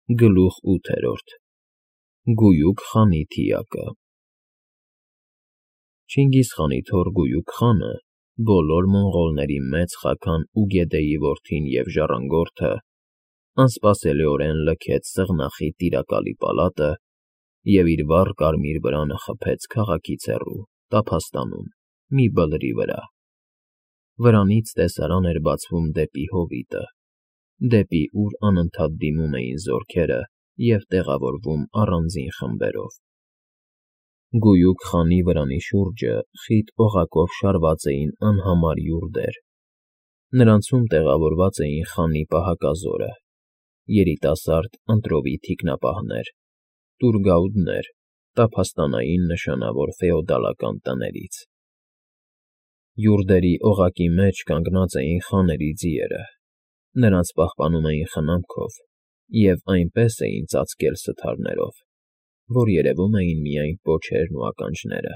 Գլուխ 8 Գույուկ խանի թիակը Չինգիզ խանի թոռ Գույուկ խանը, բոլոր մոնղոլների մեծ խագան ու գետեի որդին և ժառանգորդը, անսպասելիորեն լքեց սեղնախի տիրակալի պալատը և իր վառ կարմիր վրանը խփեց քաղաքից հեռու, տափաստանում, մի բլրի վրա. վրանից տեսարան էր բացվում դեպի հովիտը, դեպի ուր անընդհատ դիմում էին զորքերը և տեղավորվում առանձին խմբերով. Գույուկ խանի վրանի շուրջը խիտ օղակով շարված էին անհամար յուրդեր, նրանցում տեղավորված էին խանի պահակազորը, երիտասարդ ընտրովի թիկնապահներ, տուրգաուդներ տափաստանային նշանավոր ֆեոդալական տներից. Յուրդերի օղակի մեջ կանգնած էին խաների ձիերը, նրանց պահպանում էին խնամքով և այնպես էին ծածկել սթարներով, որ երևում էին միայն պոչերն ու ականջները.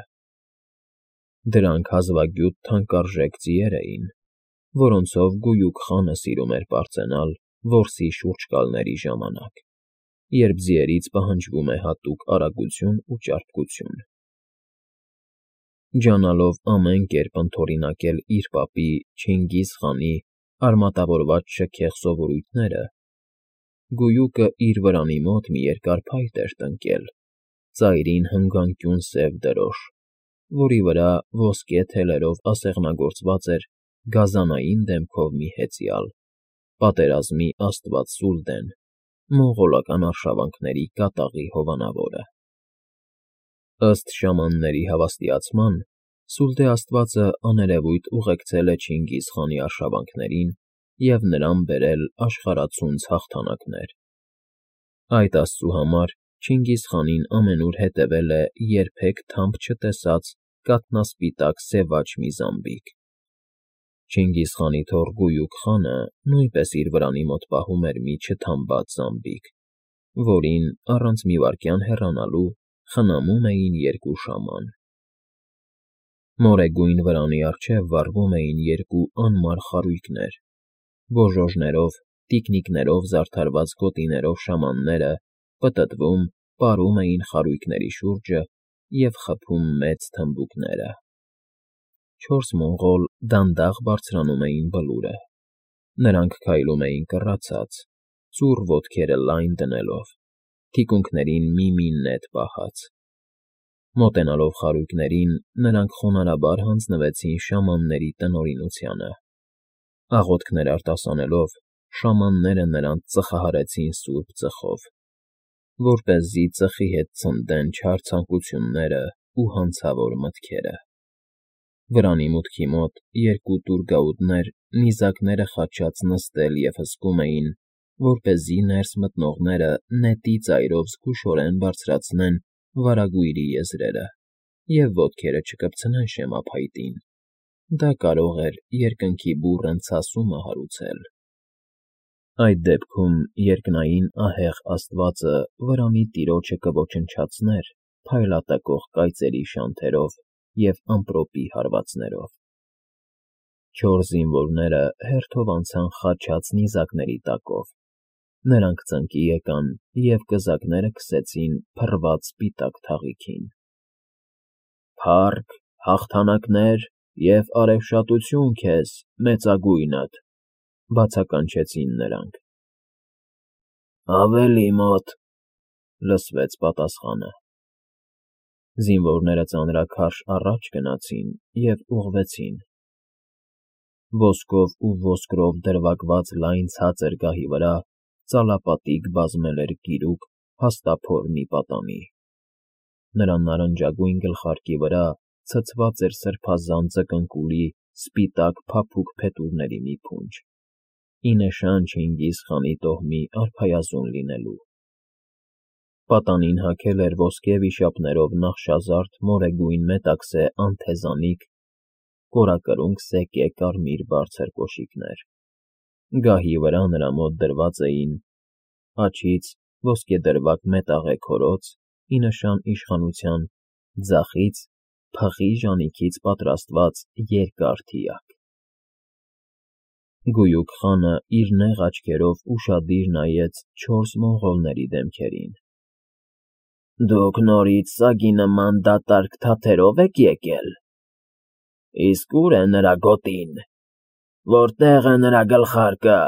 դրանք հազվագյուտ թանկարժեք ձիեր էին, որոնցով Գույուկ խանը սիրում էր պարծենալ որսի շուրջկալների ժամանակ, երբ ձիերից պահանջվում է հատուկ արագություն ու ճարպկություն. ջանալով ամեն կերպ ընդօրինակել իր պապի Չինգիզ խանի արմատավորված շքեղ սովորույթները, Գույուկը իր վրանի մոտ մի երկար փայտ էր տնկել, ծայրին հնգանկյուն սև դրոշ, որի վրա ոսկե թելերով ասեղնագործված էր գազանային դեմքով մի հեծյալ, պատերազմի աստված Սուլդեն, մոնղոլական արշավանքների կատաղի հովանավորը. ըստ շամանների հավաստիացման, Սուլդե աստվածը աներևույթ ուղեկցել է Չինգիզ խանի արշավանքներին և նրան բերել աշխարհացունց հաղթանակներ. այդ աստծու համար Չինգիզ խանին ամենուր հետևել է երբեք թամբ չտեսած կաթնասպիտակ սևաչ մի զամբիկ. Չինգիզ խանի թոռ Գույուկ խանը նույնպես իր վրանի մոտ պահում էր մի չթամբած զամբիկ, որին, առանց մի վայրկյան հեռանալու, խնամում էին երկու շաման. մորեգույն վրանի առջև վառվում էին երկու անմար խարույկներ, գոժոժներով, տիկնիկներով զարդարված գոտիներով շամանները պտտվում, պարում էին խարույկների շուրջը և խփում մեծ թմբուկները. 4 մոնղոլ դանդաղ բարձրանում էին բլուրը, նրանք քայլում էին կռացած, ծուռ ոտքերը լայն դնելով, թիկունքներին մի նետ պահած. մոտենալով խարույկներին, նրանք խոնարհաբար հանձնվեցին շամանների տնօրինությանը, աղոթքներ արտասանելով, շամանները նրանց ծխահարեցին սուրբ ծխով, որպեսզի ծխի հետ ցնդեն չար ցանկություններն ու հանցավոր մտքերը. վրանի մուտքի մոտ երկու տուրգաուդներ նիզակները խաչած նստել և հսկում էին, որպեսզի ներս մտնողները նետի ծայրով զգուշորեն բարձրացնեն վարագույրի եզրերը և ոտքերը չկպցնեն շեմափայտին, դա կարող էր երկնքի բուռն ցասումը հարուցել. այդ դեպքում երկնային ահեղ աստվածը վրանի տիրոջը կոչնչացներ փայլատակող կայծերի շանթերով և ամպրոպի հարվածներով. 4 զինվորները հերթով անցան խաչած նիզակների տակով, նրանք ծնկի եկան և կզակները քսեցին փռված սպիտակ թաղիքին. «Փառք, հաղթանակներ և արևշատություն քեզ, մեծագույնդ», բացականչեցին նրանք։ «Ավելի մոտ», լսվեց պատասխանը. զինվորները ծանրաքարշ առաջ գնացին և ուղղվեցին. ոսկով ու ոսկրով դրվագված լայն ցածր գահի վրա ծալապատիկ բազմել էր գիրուկ փաստափոր մի պատանի. նրա նարնջագույն գլխարկի վրա ցցված էր սրբազան ձկնկուլի սպիտակ փափուկ փետուրների մի փունջ, ի նշան Չինգիզ խանի տոհմի արքայազուն լինելու. պատանին հագել էր ոսկե վիշապներով նախշազարդ մորեգույն մետաքսե անթեզանիք, կորակրունկ սեկե կարմիր բարձր կոշիկներ. գահի վրա նրա մոտ դրված էին աջից ոսկեդրվագ մետաղե քորոց, ի նշան իշխանության, ձախից փղի ժանիքից պատրաստված երկար թիակ։ Գույուկ խանը իր նեղ աչքերով ուշադիր նայեց 4 մոնղոլների դեմքերին։ Դուք նորից սագի նման դատարկ թաթերով եք եկել։ Իսկ ուր է նրա գոտին, որտեղ է նրա գլխարկը,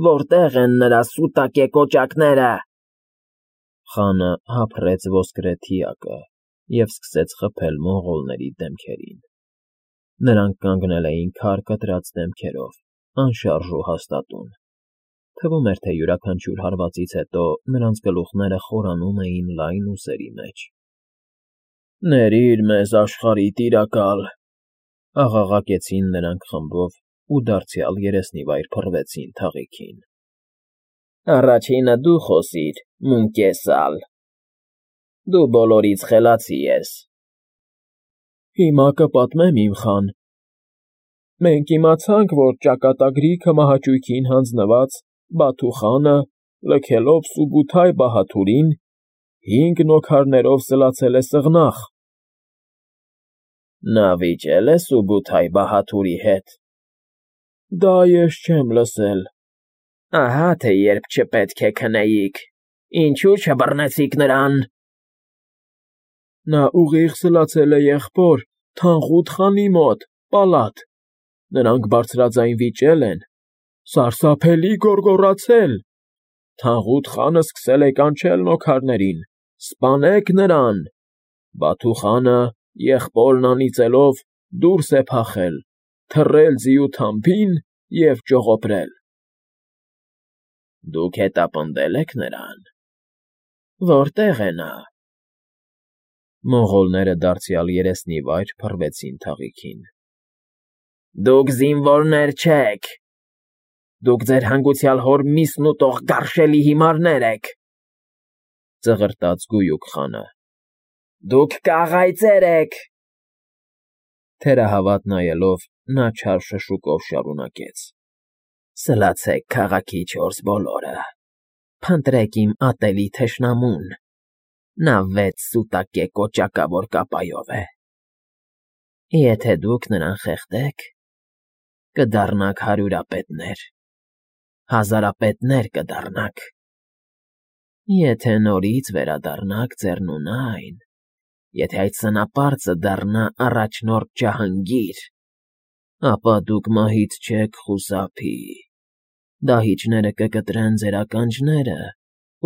որտեղ են նրա սուտակե կոճակները։ Խանը հափռեց ոսկրե թիակը և սկսեց խփել մոնղոլների դեմքերին։ Նրանք կանգնել էին քար կտրած դեմքերով, անշարժ ու հաստատուն։ Թվում էր, թե յուրաքանչյուր հարվածից հետո նրանց գլուխները խորանում էին լայն ուսերի մեջ։ Ներիր մեզ, աշխարհի տիրակալ, աղաղակեցին նրանք խմբով ու դարձյալ երեսնիվայր փռվեցին թաղիքին։ Առաջինը դու խոսիր, Մունկեսալ, դու բոլորից խելացի ես։ Հիմա կպատմեմ, իմ խան։ Մենք իմացանք, որ ճակատագրիքը մահաճույքին հանձնված Բաթու խանը, լքելով Սուբութայ բահաթուրին, 5 նոքարներով սլացել է սղնախ։ Նա վիճել է Սուբութայ բահաթուրի հետ։ Դա ես չեմ լսել։ Ահա թե երբ չպետք է քնեիք, ինչու չբռնեցիք նրան։ Նա ուղիղ սլացել է եղբոր Թանղուտ խանի մոտ, պալատ։ Նրանք բարձրաձայն վիճել են, սարսափելի գոռգոռացել։ Թանղուտ խանը սկսել է կանչել նոքարներին. «Սպանեք նրան»։ Բաթու խանը, եղբորն անիծելով, դուրս է փախել, թռել ձիու թամփին և ճողոպրել։ Դուք հետապնդել եք նրան։ Որտե՞ղ է նա։ Մոնղոլները դարձյալ երեսնիվայր փռվեցին թաղիքին։ Դուք զինվորներ չեք։ Դուք ձեր հանգուցյալ հոր միսն ուտող գարշելի հիմարներ եք, ծղրտաց Գույուկ խանը։ Դուք կաղայծեր եք։ Թերահավատ նայելով, նա չար շշուկով շարունակեց. Սլացեք քաղաքի 4 բոլորը, փնտրեք իմ ատելի թշնամուն, նա 6 սուտակե կոճակավոր կապայով է։ Եթե դուք նրան խեղդեք, կդառնաք հարյուրապետներ, հազարապետներ կդառնաք։ Եթե նորից վերադառնաք ձեռնունայն, եթե այդ սնապարծը դառնա առաջնորդ Ջահանգիր, ապա դուք մահից չեք խուսափի, դահիճները կկտրեն ձեր ականջները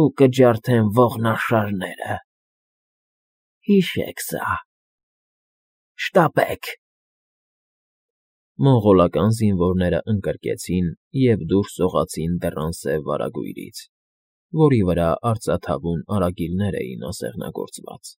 ու կջարդեն ողնաշարները։ Հիշեք սա։ Շտապեք։ Մոնղոլական զինվորները ընկրկեցին և դուրս սողացին դռան սև վարագույրից, որի վրա արծաթավուն արագիլներ էին ասեղնագործված։